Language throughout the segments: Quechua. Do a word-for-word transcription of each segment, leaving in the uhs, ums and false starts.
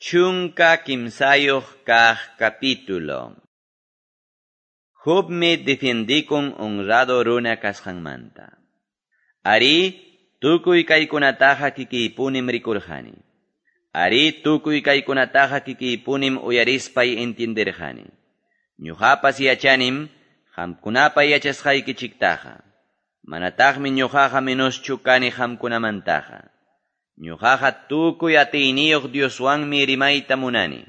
Chunka kimsayuq kaq capítulo. Jobmi defiendikun honrado runa kasqanmanta. Ari, tukuy kaykunataqa kikiypunim rikurqani. Ari, tukuy kaykunataqa kikiypunim uyarispay entienderqani. Ñuqapas yachanim, qamkunapa yachasqaykichiktaqa. Manataqmi ñuqaqa menoschu kani qamkunamantaqa. Ñuqaqa tukuy atiyniyuq Dioswanmi rimayta munani.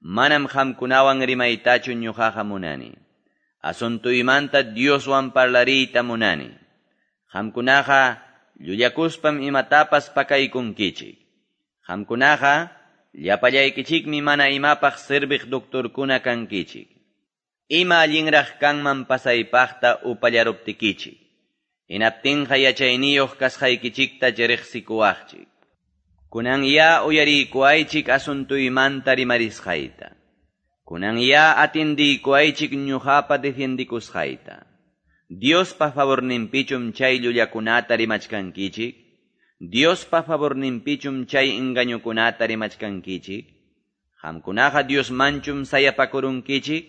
Manam qamkunawan rimaytachu ñuqaqa munani. Asuntuymanta Dioswan parlariyta munani. Qamkunaqa llullakuspam imatapas pakaykunkichik. Qamkunaqa llapallaykichikmi mana imapaq serviq doctorkuna kankichik. Ima allinraq kanman pasaypaqta upallaruptikichik. Hinaptinqa yachayniyuq kasqaykichikta riqsikuwaqchik. Kunan ya uyariykuwaychik asuntuymanta rimarisqayta. Kunan ya atindiykuwaychik ñuqapa defiendikusqayta. Diospa favorninpichum chay llullakunata rimachkankichik. Diospa favorninpichum chay engañukunata rimachkankichik. Qamkunaqa Diosmanchum sayapakurunkichik.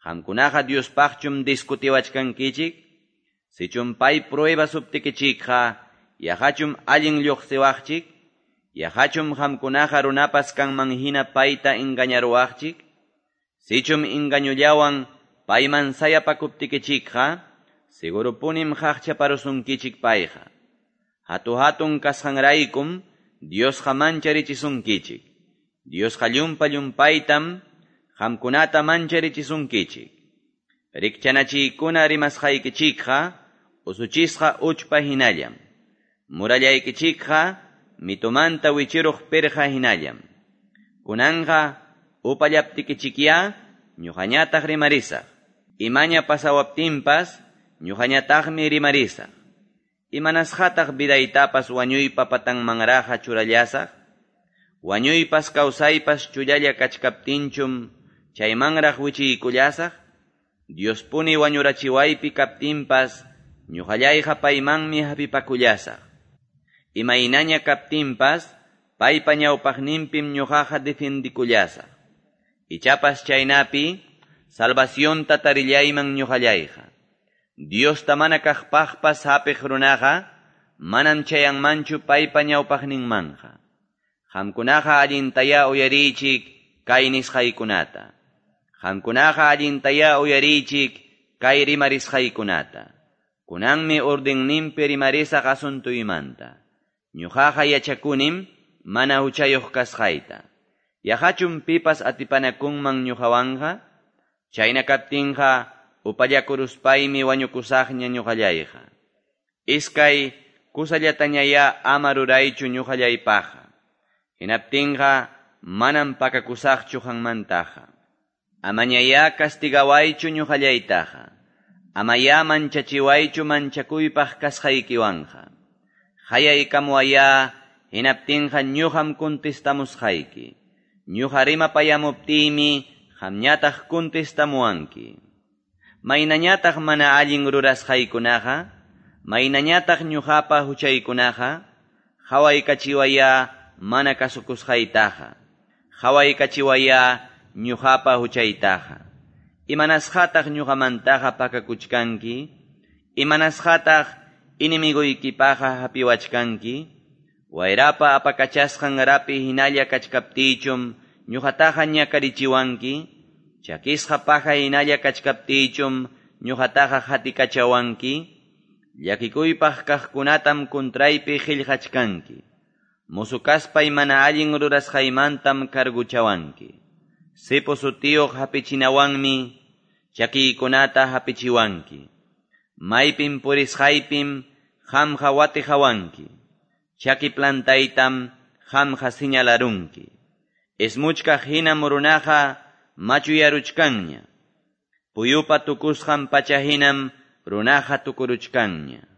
Qamkunaqa Diospaqchum discutiwachkankichik. Sichum pay prueba suptikichikqa, yaqachum allin lluqsiwaqchik. Yaqachum qamkunaqa runapas kanman hina payta engañaruwaqchik. Sichum engañullawan payman sayapakuptikichikqa, segurupunim qaqchaparusunkichik payqa. Hatu-hatun kasqanraykum Diosqa mancharichisunkichik. Diosqa llumpa llumpaytam qamkunata mancharichisunkichik. Rikchanachiykuna rimasqaykichikqa usuchisqa uchpa hinallam. Murallaykichikqa mitumanta wichiruq pirqa hinallam. Kunanqa upallaptikichikya ñuqañataq rimarisaq. Imaña pasawaptinpas ñuqañataqmi rimarisaq. Imanasqataq vidaytapas wañuypa patanmanraqa churallasaq. Wañuypas kawsaypas chullalla kachkaptinchum chaymanraq wichiykullasaq. Diospuni wañurachiwaypi kaptinpas ñuqallayqa paymanmi hapipakullasaq. Imaynaña kaptinpas paypa ñawpaqninpim ñuqaqa defiendikullasaq. Ichapas chaynapi salvacionta tarillayman ñuqallayqa. Diosta mana kaqpaqpas hapiq runaqa manam chayanmanchu paypa ñawpaqninmanqa. Qamkunaqa allintaya uyariychik kay nisqaykunata. Qamkunaqa allintaya uyariychik kay rimarisqaykunata. Kunanmi ordenninpi rimarisaq asuntuymanta. Ñuqaqa yachakunim mana huchayuq kasqayta. Yaqachum pipas atipanakunman ñuqawanqa? Chayna kaptinqa upallakuruspaymi wañukusaqña ñuqallayqa. Iskay kusallatañaya ama ruraychu ñuqallaypaqqa. Hinaptinqa manam pakakusaqchu qanmantaqa. Amañaya castigawaychu ñuqallaytaqa. Amaya manchachiwaychu manchakuypaq kasqaykiwanqa. Hayaykamuwaya hinaptinqa ñuqam contestamusqayki. Ñuqa rimapayamuptiymi qamñataq contestamuwanki. Maynañataq mana allin rurasqaykunaqa, maynañataq ñuqapa huchaykunaqa, qhawaykachiwaya mana kasukusqaytaqa, qhawaykachiwaya ñuqapa huchaytaqa. Imanasqataq ñuqamantaqa pakakuchkanki? Imanasqataq inimiguykipaqa hapiwachkanki? Wayrapa apakachasqan rapi hinalla kachkaptiychum ñuqataqa ñakarichiwanki? Chakisqa paja hinalla kachkaptiychum ñuqataqa hatikachawanki? Llakikuypaq kaqkunatam kuntraypi qillqachkanki. Musu kaspay mana allin rurasqaymantam carguchawanki. Sipo sutiyuq hapichinawanmi chakiykunata hapichiwanki. Maypim purisqaypim qamqa watiqawanki. Chaki plantaytam qamqa señalarunki. Ismuchkaq hinam runaqa machuyaruchkanña. Puyupa tukusqan pacha hinam runaqa tukuruchkanña.